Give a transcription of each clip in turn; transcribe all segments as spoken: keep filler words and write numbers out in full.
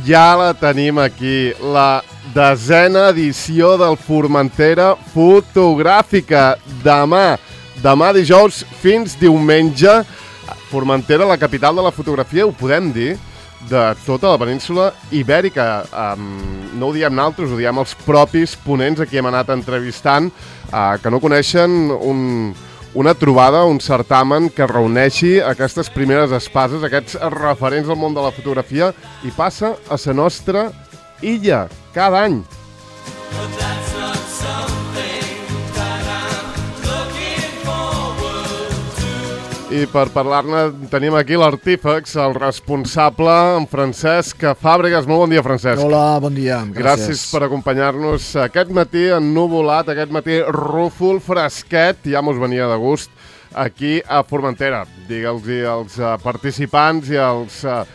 ja la tenim aquí, la desena edició del Formentera Fotogràfica. Demà, demà dijous fins diumenge, Formentera, la capital de la fotografia, ho podem dir, de tota la península ibèrica. Um, no ho diem naltros, ho diem els propis ponents a qui hem anat entrevistant, uh, que no coneixen un, una trobada, un certamen que reuneixi aquestes primeres espases, aquests referents del món de la fotografia, i passa a la nostra illa cada any. I per parlar-ne tenim aquí l'artífex, el responsable, en Francesc Fàbregas. Molt bon dia, Francesc. Hola, bon dia. Gràcies. Gràcies per acompanyar-nos aquest matí ennuvolat, aquest matí rúfol, fresquet, ja mos venia de gust, aquí a Formentera. Digue'ls als participants i als uh,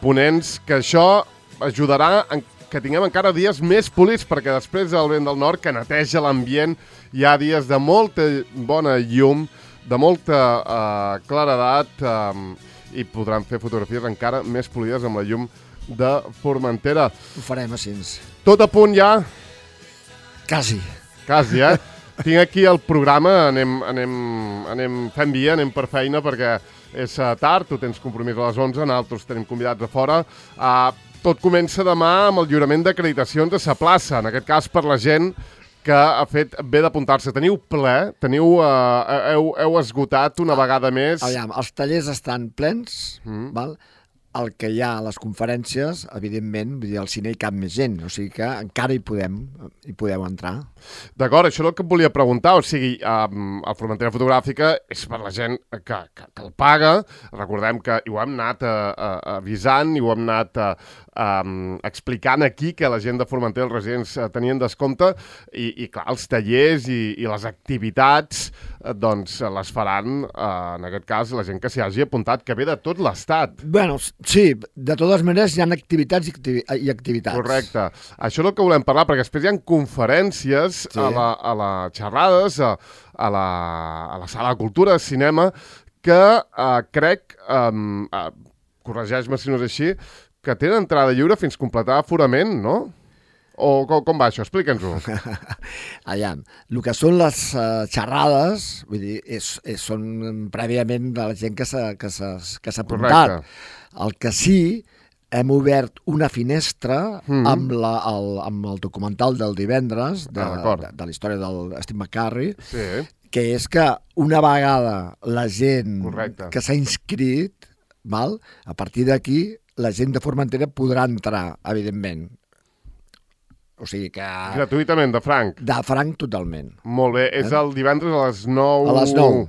ponents que això ajudarà a que tinguem encara dies més polits, perquè després del vent del nord, que neteja l'ambient, hi ha dies de molta bona llum, de molta uh, claredat, um, i podran fer fotografies encara més polides amb la llum de Formentera. Ho farem així. Tot a punt ja? Quasi. Quasi, eh? Tinc aquí el programa, anem, anem, anem fent via, anem per feina, perquè és tard, tu tens compromís a les onze, nosaltres tenim convidats a fora. Uh, tot comença demà amb el lliurament d'acreditacions a sa plaça, en aquest cas per la gent que ha fet bé d'apuntar-se. Teniu ple, teniu, uh, heu, heu esgotat una vegada més. Aviam, els tallers estan plens, mm. val? El que hi ha a les conferències, evidentment, vull dir, al cine hi cap més gent, o sigui que encara hi podem, hi podeu entrar. D'acord, això és el que et volia preguntar, o sigui, um, el Formentera Fotogràfica és per la gent que, que, que el paga, recordem que ho hem anat a, a, avisant i ho hem anat a, Um, explicant aquí que la gent de Formentera, els residents, uh, tenien descompte i, i clar, els tallers i, i les activitats uh, doncs les faran, uh, en aquest cas, la gent que s'hi hagi apuntat, que ve de tot l'estat. Bueno, sí, de totes maneres hi ha activitats i, activi i activitats. Correcte. Això és el que volem parlar, perquè després hi ha conferències, sí, a la, a la xerrades, a, a, la, a la sala de cultura, de cinema, que uh, crec, um, uh, corregeix-me si no és així, que tenen entrada lliure fins completar aforament, no? O com, com va això? Explica'ns-ho. Allà, el que són les uh, xerrades, vull dir, és, és, són prèviament de la gent que s'ha que s'ha apuntat. El que sí, hem obert una finestra mm. amb, la, el, amb el documental del divendres, de, ah, de, de la història del Steve McCurry, sí, que és que una vegada la gent Correcte. Que s'ha inscrit, val, a partir d'aquí, la gent de Formentera podrà entrar, evidentment. O sigui que... Gratuïtament, de franc? De franc, totalment. Molt bé. Eh? És el divendres a les nou... A les nou.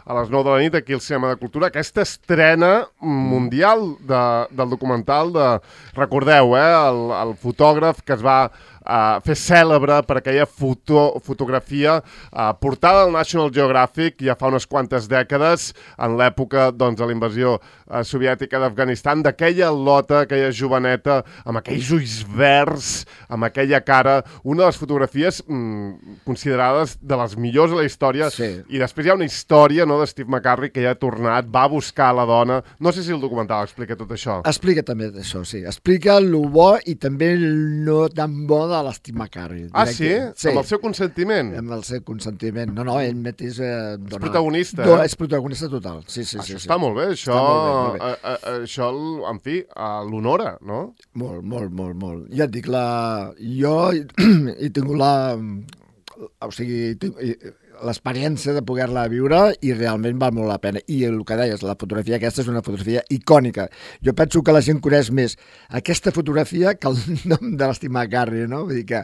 A les nou de la nit, aquí al Cinema de Cultura. Aquesta estrena mundial de, del documental de... Recordeu, eh? El, el fotògraf que es va uh, fer cèlebre per aquella foto, fotografia uh, portada al National Geographic ja fa unes quantes dècades, en l'època doncs, de la invasió uh, soviètica d'Afganistan, d'aquella lota, aquella joveneta, amb aquells ulls verds, amb aquella cara, una de les fotografies mm, considerades de les millors de la història, sí. I després hi ha una història, no, de Steve McCurry, que ja ha tornat, va buscar la dona. No sé si el documental explica tot això. Explica també això, sí. Explica el bo i també el no tan bo de l'Steve McCurry. Ah, sí? sí? Amb el seu consentiment? Amb el seu consentiment. No, no, ell mateix... Eh, és protagonista, eh? eh? És protagonista total, sí, sí. Això sí, està sí. molt bé, això, molt bé, molt bé. A, a, a, això en fi, l'honora, no? Molt, molt, molt, molt. Ja et dic, la... jo he tingut la... O sigui, l'experiència de poder-la viure i realment val molt la pena. I el que deies, la fotografia aquesta és una fotografia icònica. Jo penso que la gent coneix més aquesta fotografia que el nom de l'Steve McCurry, no? Vull dir que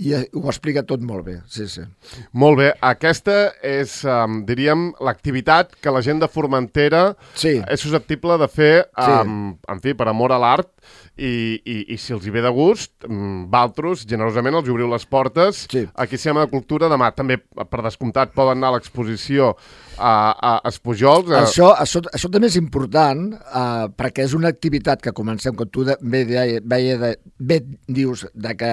i ho explica tot molt bé, sí, sí. Molt bé. Aquesta és, um, diríem, l'activitat que la gent de Formentera sí. és susceptible de fer, um, sí. en fi, per amor a l'art, i, i, i si els hi ve de gust, um, valtros, generosament els obriu les portes. Sí. Aquí a Cinema de Cultura demà, també per descomptat, descomptat, poden anar a l'exposició a, a Espujols. A... Això, això, això també és important uh, perquè és una activitat que comencem, com tu de, bé, de, bé, de, bé dius, de que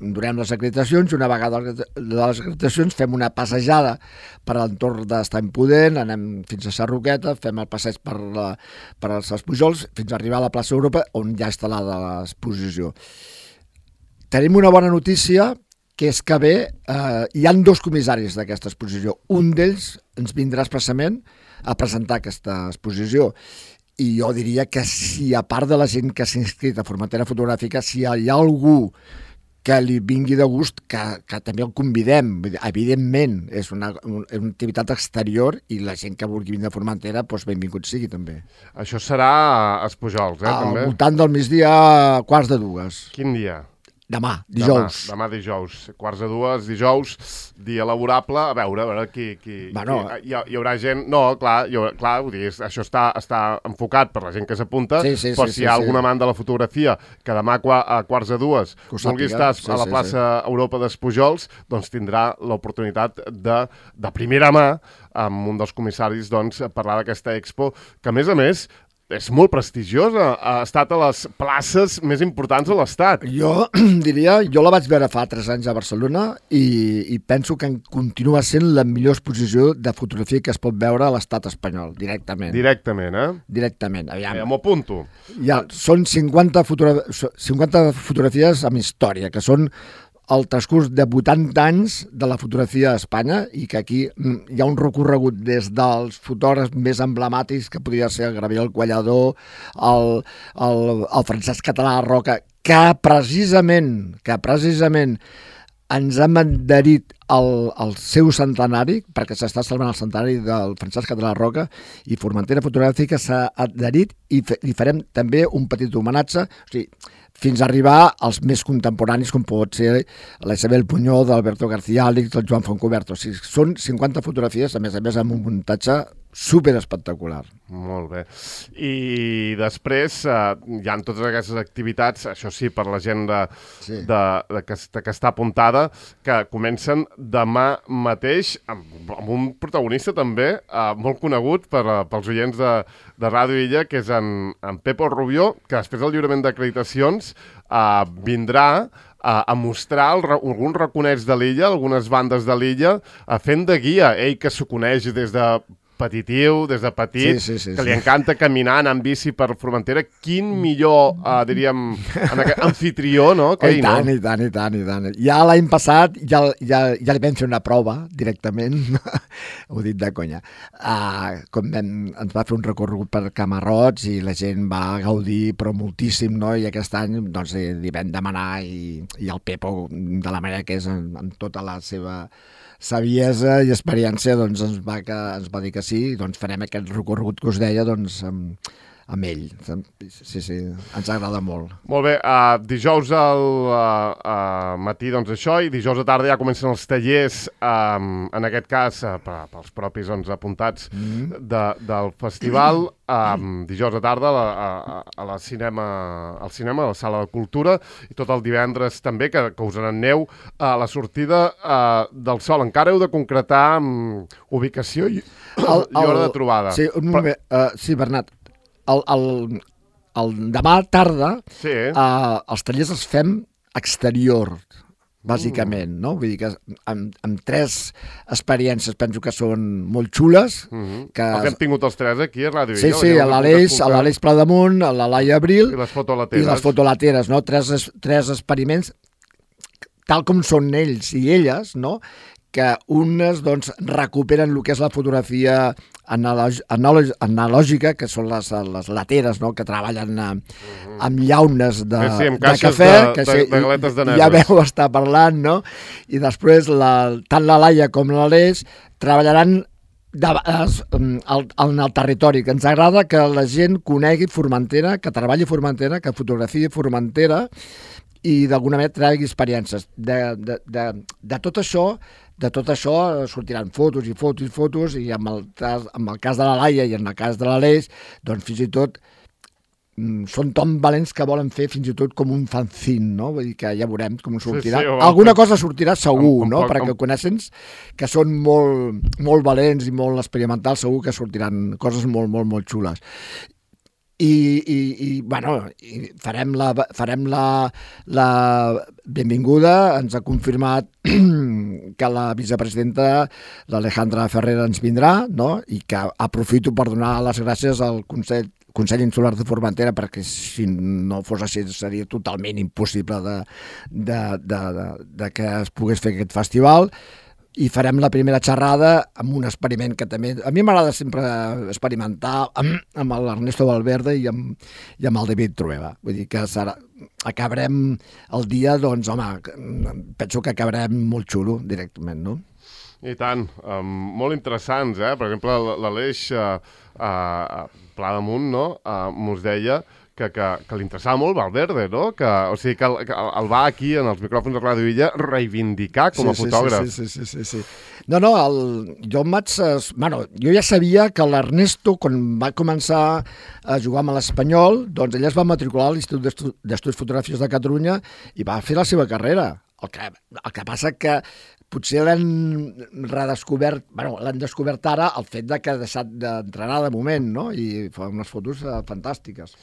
durem les acreditacions i una vegada de les acreditacions fem una passejada per l'entorn d'Estany Pudent, anem fins a Sarroqueta, fem el passeig per, la, per els Espujols fins a arribar a la plaça Europa on ja ha instal·lada l'exposició. Tenim una bona notícia, que és que bé, eh, hi han dos comissaris d'aquesta exposició. Un d'ells ens vindrà expressament a presentar aquesta exposició. I jo diria que si, a part de la gent que s'ha inscrit a Formentera Fotogràfica, si hi ha algú que li vingui de gust, que, que també el convidem. Evidentment, és una, una activitat exterior i la gent que vulgui vindre a Formentera, doncs benvingut sigui també. Això serà a Espujols, eh, Al també? Al voltant del migdia, quarts de dues. Quin dia? Demà, dijous. Demà, demà dijous, quarts de dues, dijous, dia laborable, a veure, a veure qui... qui, bueno, qui hi, hi haurà gent... No, clar, hi haurà, clar vull dir, això està, està enfocat per la gent que s'apunta, sí, sí, però sí, si hi ha sí, algun sí. amant de la fotografia que demà a quarts de dues vulgui estar sí, a la sí, plaça sí. Europa d'Espujols, doncs tindrà l'oportunitat de, de primera mà amb un dels comissaris doncs, parlar d'aquesta expo, que a més a més és molt prestigiosa, ha estat a les places més importants de l'Estat. Jo diria, jo la vaig veure fa tres anys a Barcelona i, i penso que continua sent la millor exposició de fotografia que es pot veure a l'Estat espanyol, directament. Directament, eh? Directament, aviam. Ja m'ho apunto. Ja, són cinquanta, fotogra cinquanta fotografies amb història, que són el transcurs de vuitanta anys de la fotografia a Espanya i que aquí hi ha un recorregut des dels fotògrafs més emblemàtics que podria ser el Gabriel Quallador, el, el, el Francesc Català Roca, que precisament, que precisament ens hem adherit al, al seu centenari, perquè s'està celebrant el centenari del Francesc Català Roca, i Formentera Fotogràfica s'ha adherit i fe, li farem també un petit homenatge, o sigui, fins a arribar als més contemporanis, com pot ser la Isabel Punyó, d'Alberto García Àlix, del Joan Foncoberto. O sigui, són cinquanta fotografies, a més a més, amb un muntatge super espectacular. Molt bé. I després eh, hi ha totes aquestes activitats, això sí, per la gent de, sí. de, de, que, de que està apuntada, que comencen demà mateix amb, amb un protagonista també eh, molt conegut per, uh, pels oients de, de Ràdio Illa, que és en, en Pepo Rubió, que després del lliurament d'acreditacions eh, vindrà a, a mostrar el, alguns raconets de l'illa, algunes bandes de l'illa, uh, fent de guia. Ell que s'ho coneix des de petitiu, des de petit, sí, sí, sí, que li sí. encanta caminar, anar en bici per Formentera. Quin millor, uh, diríem, en aquest anfitrió, no? Que oh, ell, i tant, no? i tant, i tant, i tant. Ja l'any passat ja, ja, ja li vam fer una prova directament, ho dit de conya. Uh, com vam, ens va fer un recorregut per Camarrots i la gent va gaudir, però moltíssim, no? I aquest any doncs, li vam demanar i, i el Pepo, de la manera que és, amb, amb tota la seva saviesa i experiència, doncs ens va, que, ens va dir que sí, doncs farem aquest recorregut que us deia doncs, amb, amb ell. Sí, sí, ens agrada molt. Molt bé, uh, dijous al uh, uh, matí, doncs això, i dijous a tarda ja comencen els tallers, um, en aquest cas, uh, pels propis doncs, apuntats mm-hmm. de, del festival, um, dijous a tarda a, a, a la cinema, al cinema, a la Sala de Cultura, i tot el divendres també, que, que us n'aneu a la sortida uh, del Sol. Encara heu de concretar um, ubicació i, el, i hora de trobada. Sí, un moment, Però... uh, sí, Bernat, El, el, el demà tarda sí. uh, els tallers els fem exterior, bàsicament, mm. no? Vull dir que amb, amb tres experiències penso que són molt xules. Mm-hmm. Que... Els hem tingut els tres aquí a Ràdio Sí, Illa. sí, a l'Aleix, a l'Aleix Pladamunt, a la Laia Abril i les fotolateres. I les fotolateres, no? Tres, tres experiments, tal com són ells i elles, no? Que unes doncs, recuperen el que és la fotografia analog, analog, analògica, que són les, les lateres, no? Que treballen amb, amb llaunes de, sí, sí, amb de cafè, de, que de, sí, de galetes daneses. Ja veu estar parlant, no? I després la, tant la Laia com l'Aleix treballaran de, es, en el territori, que ens agrada que la gent conegui Formentera, que treballi Formentera, que fotografiï Formentera i d'alguna manera tregui experiències. De, de, de, de tot això De tot això sortiran fotos i fotos i fotos i amb el, cas, amb el cas de la Laia i en el cas de l'Aleix, doncs fins i tot són tan valents que volen fer fins i tot com un fanzine, no? Vull dir que ja veurem com sortirà. Sí, sí, Alguna cosa sortirà segur, com, com, no? com, Perquè coneixen que són molt, molt valents i molt experimentals, segur que sortiran coses molt, molt, molt xules. I, i, i bueno, i farem, la, farem la, la benvinguda. Ens ha confirmat que la vicepresidenta, l'Alejandra Ferrer, ens vindrà, no? I que aprofito per donar les gràcies al Consell Consell Insular de Formentera, perquè si no fos així seria totalment impossible de, de, de, de, de que es pogués fer aquest festival. I farem la primera xerrada amb un experiment que també... A mi m'agrada sempre experimentar amb, amb l'Ernesto Valverde i amb, i amb el David Trueba. Vull dir que serà, acabarem el dia, doncs, home, penso que acabarem molt xulo directament, no? I tant, um, molt interessants, eh? Per exemple, l'Aleix uh, uh, Pla damunt, no? Uh, mos deia que, que, que li interessava molt Valverde, no? Que, o sigui, que el, que el va aquí, en els micròfons de Ràdio Illa, reivindicar com a sí, sí, fotògraf. Sí, sí, sí, sí, sí. No, no, el, jo em vaig... Bueno, jo ja sabia que l'Ernesto, quan va començar a jugar amb l'Espanyol, doncs ell es va matricular a l'Institut d'Estudis Fotogràfics de Catalunya i va fer la seva carrera. El que, el que passa que potser l'han redescobert, bueno, l'han descobert ara el fet de que ha deixat d'entrenar de moment, no? I fa unes fotos eh, fantàstiques.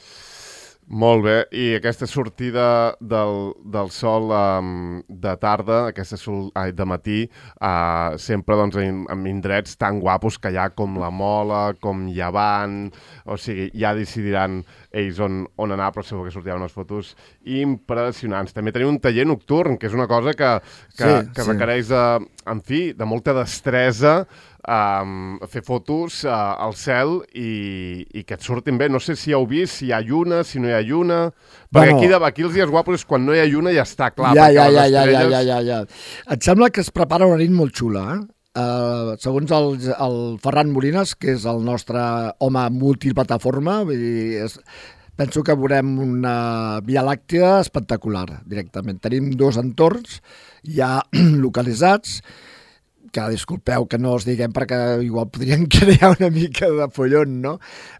Molt bé, i aquesta sortida del, del sol um, de tarda, aquesta sol ai, de matí, uh, sempre doncs, en, en indrets tan guapos que hi ha com la Mola, com Llevant, o sigui, ja decidiran ells on, on anar, però segur que sortiran unes fotos impressionants. També tenim un taller nocturn, que és una cosa que, que, sí, que sí. requereix, de, en fi, de molta destresa, Um, fer fotos uh, al cel i, i que et surtin bé. No sé si heu vist, si hi ha lluna, si no hi ha lluna... Perquè bueno, aquí, de, aquí els dies guapos és quan no hi ha lluna i ja està clar. Ja, ja, ja, estrelles... ja, ja, ja, ja, ja. Et sembla que es prepara una nit molt xula, eh? Uh, segons el, el Ferran Molines, que és el nostre home multiplataforma, vull dir, és, penso que veurem una Via Làctea espectacular, directament. Tenim dos entorns ja localitzats, que disculpeu que no els diguem perquè igual podrien crear una mica de follon, no?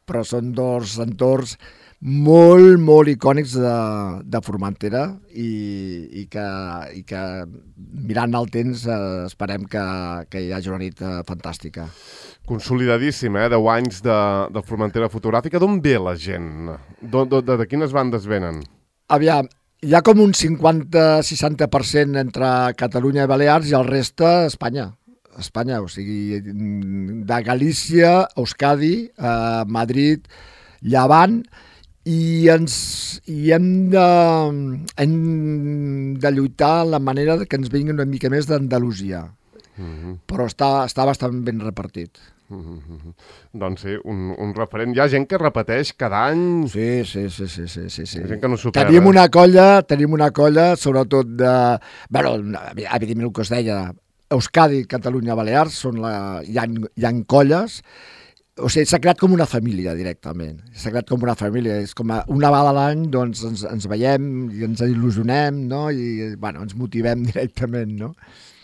Però són dos entorns molt, molt icònics de, de Formentera i, i, que, i que mirant el temps eh, esperem que, que hi hagi una nit eh, fantàstica. Consolidadíssim, eh? deu anys de, de Formentera fotogràfica. D'on ve la gent? De, de, de, de quines bandes venen? Aviam, hi ha com un cinquanta a seixanta per cent entre Catalunya i Balears i el reste Espanya. Espanya, o sigui, de Galícia, Euskadi, eh, Madrid, Llevant, i ens i hem de, hem de lluitar la manera que ens vingui una mica més d'Andalusia. Mm-hmm. Però està, està bastant ben repartit. Mm-hmm. Doncs sí, un, un referent. Hi ha gent que repeteix cada any... Sí, sí, sí, sí, sí, sí, sí. Gent que no supera. Tenim una colla, tenim una colla, sobretot de... Bueno, evidentment el que us deia, Euskadi, Catalunya, Balears, són la, hi, ha, hi ha colles, o sigui, s'ha creat com una família directament, s'ha creat com una família, és com a, una vegada a l'any doncs, ens, ens veiem i ens il·lusionem, no? I bueno, ens motivem directament, no?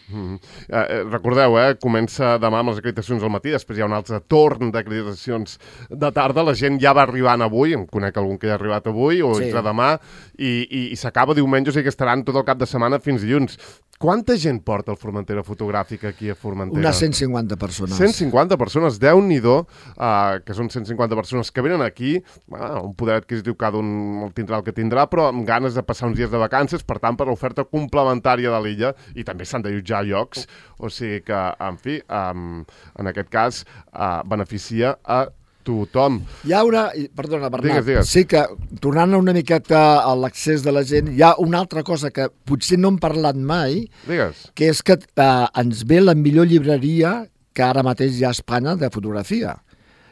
Mm-hmm. eh, recordeu, eh, comença demà amb les acreditacions al matí, després hi ha un altre torn d'acreditacions de tarda, la gent ja va arribant avui, em conec algun que ja ha arribat avui o sí. entre demà, i, i, i s'acaba diumenge, o sigui que estaran tot el cap de setmana fins dilluns. Quanta gent porta el Formentera Fotogràfica aquí a Formentera? Unes cent cinquanta persones. cent cinquanta persones, Déu-n'hi-do, uh, que són cent cinquanta persones que venen aquí, uh, un poder adquisitiu cada un el tindrà el que tindrà, però amb ganes de passar uns dies de vacances, per tant, per l'oferta complementària de l'illa, i també s'han de jutjar llocs, o sigui que, en fi, um, en aquest cas, uh, beneficia a tothom. Hi ha una... Perdona, Bernat. Digues, digues. Sí que, tornant una miqueta a l'accés de la gent, hi ha una altra cosa que potser no hem parlat mai, Digues. que és que eh, ens ve la millor llibreria que ara mateix hi ha a Espanya de fotografia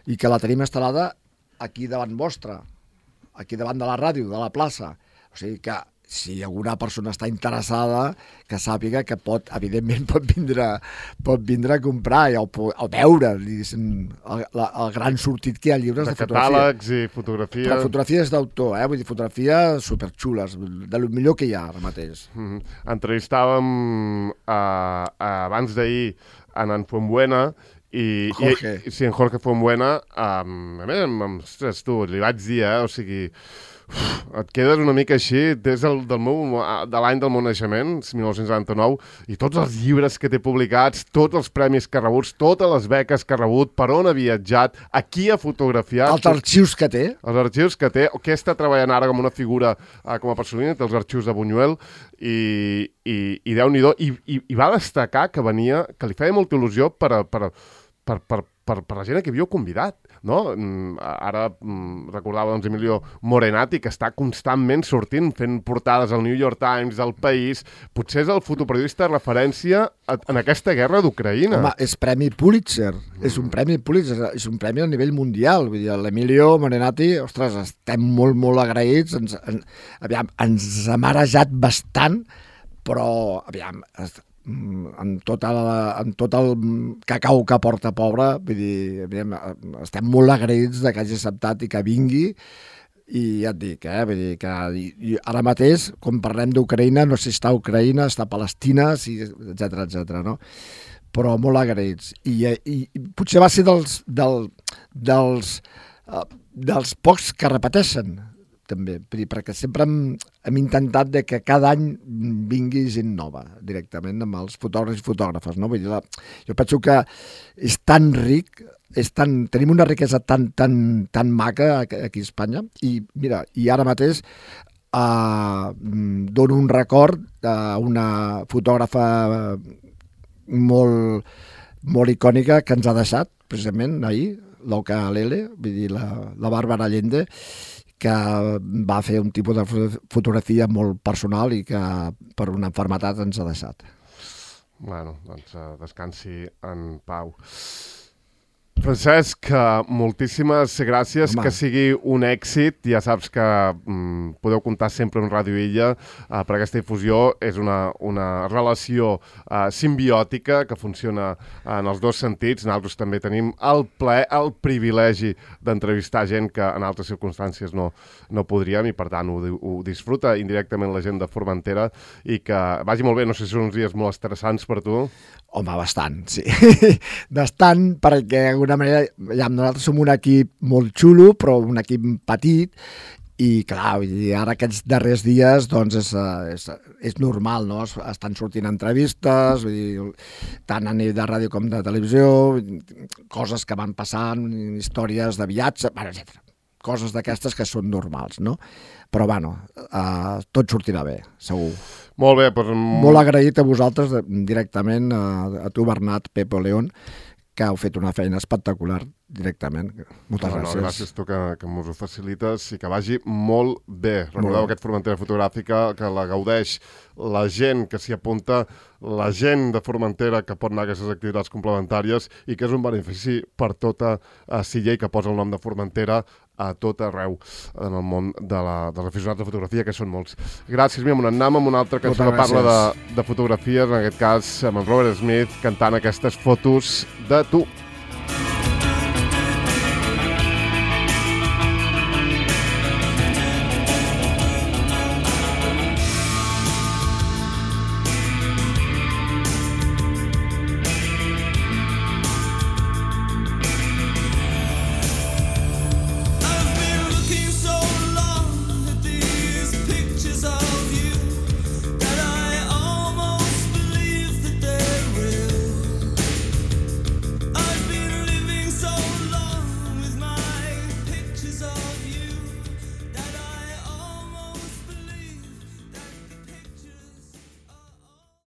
i que la tenim instal·lada aquí davant vostra, aquí davant de la ràdio, de la plaça. O sigui que si alguna persona està interessada, que sàpiga que pot, evidentment, pot vindre, pot vindre a comprar o, o veure el, el, el gran sortit que hi ha llibres de, de fotografia. De catàlegs i fotografia. Però fotografies d'autor, eh? Vull dir, fotografies superxules, de lo millor que hi ha ara mateix. Mm-hmm. Entrevistàvem uh, uh, abans d'ahir en en Fuenbuena I, Jorge. I, sí, en Jorge Fonbuena, um, a més, ostres, tu, li vaig dir, eh, o sigui, uf, et quedes una mica així des del, del meu, de l'any del meu naixement, mil nou-cents noranta-nou, i tots els llibres que té publicats, tots els premis que ha rebut, totes les beques que ha rebut, per on ha viatjat, a qui ha fotografiat... Els arxius que té. Els arxius que té, o què està treballant ara com una figura, eh, com a personal, dels arxius de Buñuel, i, i, i Déu-n'hi-do, i, i, i va destacar que venia, que li feia molta il·lusió per, a, per, a, per, per, per, per la gent que havíeu convidat, no? Ara recordava doncs, Emilio Morenati, que està constantment sortint, fent portades al New York Times, al País. Potser és el fotoperiodista de referència en aquesta guerra d'Ucraïna. Home, és premi Pulitzer, mm. és un premi Pulitzer, és un premi a nivell mundial. Vull dir, l'Emilio Morenati, ostres, estem molt, molt agraïts, ens, en, aviam, ens ha marejat bastant, però, aviam, en tot, el, en tot el cacau que porta pobre, vull dir, estem molt agraïts de que hagi acceptat i que vingui, i ja et dic, eh, vull dir que i, ara mateix, quan parlem d'Ucraïna, no sé si està a Ucraïna, està a Palestina, si, etcètera, etcètera, no? Però molt agraïts. I, i, i potser va ser dels, del, dels, uh, dels pocs que repeteixen, també, perquè sempre hem, hem intentat de que cada any vingui gent nova, directament, amb els fotògrafs i fotògrafes, no? Vull dir, la, jo penso que és tan ric, és tan, tenim una riquesa tan, tan, tan maca aquí a Espanya, i mira, i ara mateix eh, dono un record a una fotògrafa molt, molt icònica que ens ha deixat, precisament, ahir, l'Oca Lele, vull dir, la, la Bàrbara Allende, que va fer un tipus de fotografia molt personal i que per una malaltia ens ha deixat. Bueno, doncs descansi en pau. Francesc, moltíssimes gràcies, Home. Que sigui un èxit. Ja saps que mm, podeu comptar sempre amb Ràdio Illa uh, per aquesta difusió. És una, una relació uh, simbiòtica que funciona en els dos sentits. Nosaltres també tenim el plaer, el privilegi d'entrevistar gent que en altres circumstàncies no, no podríem, i per tant ho, ho disfruta indirectament la gent de Formentera, i que vagi molt bé. No sé si són uns dies molt estressants per tu. Home, bastant, sí. Bastant, perquè d'alguna manera, ja, nosaltres som un equip molt xulo, però un equip petit, i clar, ara aquests darrers dies doncs és, és, és normal, no? Estan sortint entrevistes, vull dir, tant a nivell de ràdio com de televisió, coses que van passant, històries de viatge, etcètera. Coses d'aquestes que són normals, no? Però, bueno, eh, tot sortirà bé, segur. Molt bé, però... Molt agraït a vosaltres, directament, a, a tu, Bernat, Pepo, León, que heu fet una feina espectacular directament. Moltes no, gràcies. No, gràcies tu que, que m'ho facilites i que vagi molt bé. Recordeu aquest Formentera Fotogràfica, que la gaudeix la gent que s'hi apunta, la gent de Formentera que pot anar a aquestes activitats complementàries, i que és un benefici per tota uh, Silla, i que posa el nom de Formentera a tot arreu en el món de la, dels aficionats de fotografia, que són molts. Gràcies, Mia. Anem amb una altra cançó que parla de, de fotografies, en aquest cas amb en Robert Smith, cantant aquestes fotos de tu.